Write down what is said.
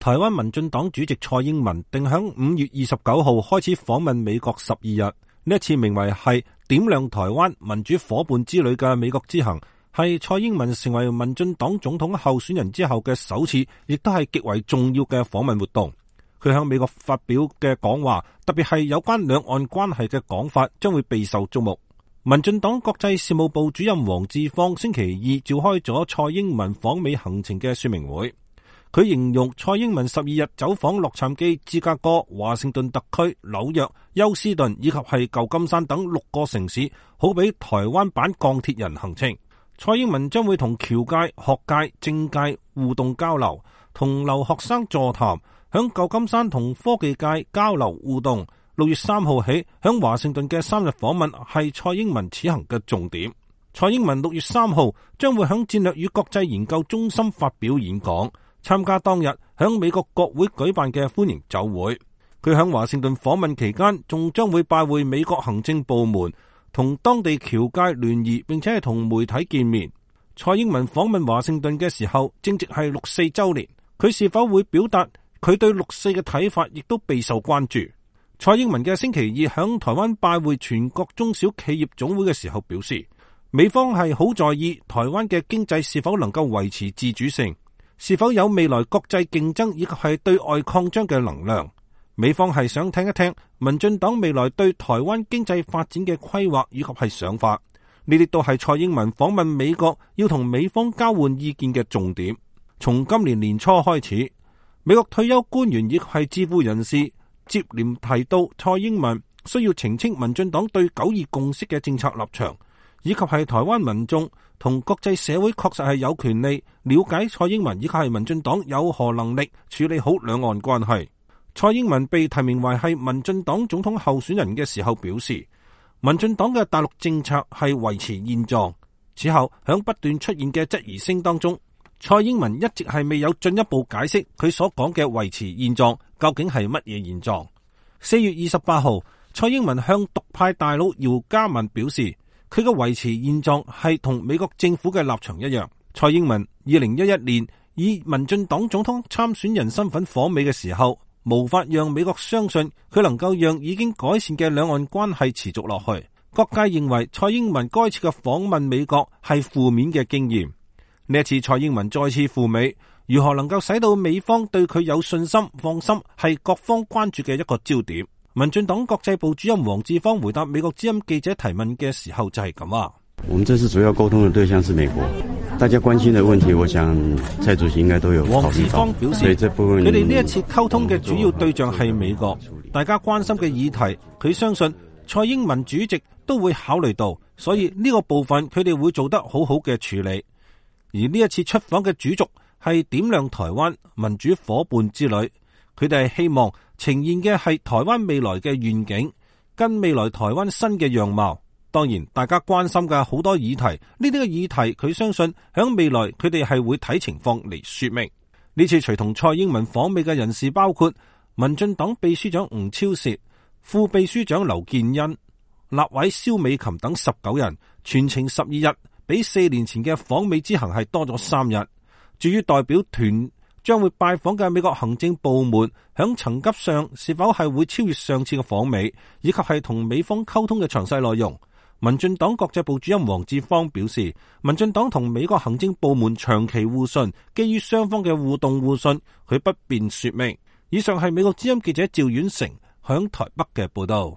台灣民進黨主席蔡英文定響5月29號開始訪問美國12日，呢一次名為係點亮台灣民主夥伴之旅嘅美國之行，係蔡英文成為民進黨總統候選人之後嘅首次，亦都係極為重要嘅訪問活動。佢喺美國發表嘅講話，特別係有關兩岸關係嘅講法，將會備受矚目。民進黨國際事務部主任黃志芳星期二召開咗蔡英文訪美行程嘅說明會。佢形容蔡英文12日走訪洛杉磯、芝加哥、華盛頓特區、紐約、休斯頓以及係舊金山等6個城市，好比台灣版鋼鐵人行程。蔡英文將會同僑界、學界、政界互動交流，同留學生座談，響舊金山同科技界交流互動。6月3號起，響華盛頓嘅3日訪問係蔡英文此行嘅重點。蔡英文6月3號將會響戰略與國際研究中心發表演講。參加當日響美國國會舉辦嘅歡迎酒會，佢響華盛頓訪問期間，仲將會拜會美國行政部門，同當地僑界聯誼，並且係同媒體見面。蔡英文訪問華盛頓嘅時候，正值係6·4週年，佢是否會表達佢對6·4嘅睇法，亦都備受關注。蔡英文嘅星期二響台灣拜會全國中小企業總會嘅時候表示，美方係好在意台灣嘅經濟是否能夠維持自主性，是否有未來國際競爭以及係對外擴張嘅能量？美方係想聽一聽民進黨未來對台灣經濟發展嘅規劃以及係想法，呢啲都係蔡英文訪問美國要同美方交換意見嘅重點。從今年年初開始，美國退休官員以及係智庫人士接連提到蔡英文需要澄清民進黨對9·2共識嘅政策立場，以及係台灣民眾同國際社會確實係有權利了解蔡英文以及係民進黨有何能力處理好兩岸關係。蔡英文被提名為係民進黨總統候選人嘅時候表示，民進黨嘅大陸政策係維持現狀。此後響不斷出現嘅質疑聲當中，蔡英文一直係未有進一步解釋佢所講嘅維持現狀究竟係乜嘢現狀。4月28號，蔡英文向獨派大佬姚嘉文表示，佢嘅維持現狀係同美國政府嘅立場一樣。蔡英文2011年以民進黨總統參選人身份訪美嘅時候，無法讓美國相信佢能夠讓已經改善嘅兩岸關係持續落去。各界認為蔡英文該次嘅訪問美國係負面嘅經驗。呢一次蔡英文再次赴美，如何能夠使到美方對佢有信心放心，係各方關注嘅一個焦點。民進黨國際部主任黃志芳回答美國之音記者提問嘅時候就係咁啊。我們這次主要溝通的對象是美國，大家關心的問題，我想蔡主席應該都有考慮到。黃志芳表示，佢哋呢一次溝通嘅主要對象係美國，大家關心嘅議題，佢相信蔡英文主席都會考慮到，所以呢個部分佢哋會做得好好嘅處理。而呢一次出訪嘅主軸係點亮台灣民主夥伴之旅，佢哋係希望呈現嘅係台灣未來嘅願景，跟未來台灣新嘅樣貌。當然，大家關心嘅好多議題，呢啲嘅議題，佢相信響未來佢哋係會睇情況嚟說明。呢次隨同蔡英文訪美嘅人士包括民進黨秘書長吳釗燮、副秘書長劉建恩、立委蕭美琴等19人，全程12日，比4年前嘅訪美之行係多咗3日。至於代表團將會拜訪嘅美國行政部門，響層級上是否係會超越上次嘅訪美，以及係同美方溝通嘅詳細內容。民進黨國際部主任黃志芳表示，民進黨同美國行政部門長期互信，基於雙方嘅互動互信，佢不便說明。以上係美國之音記者趙婉成響台北嘅報道。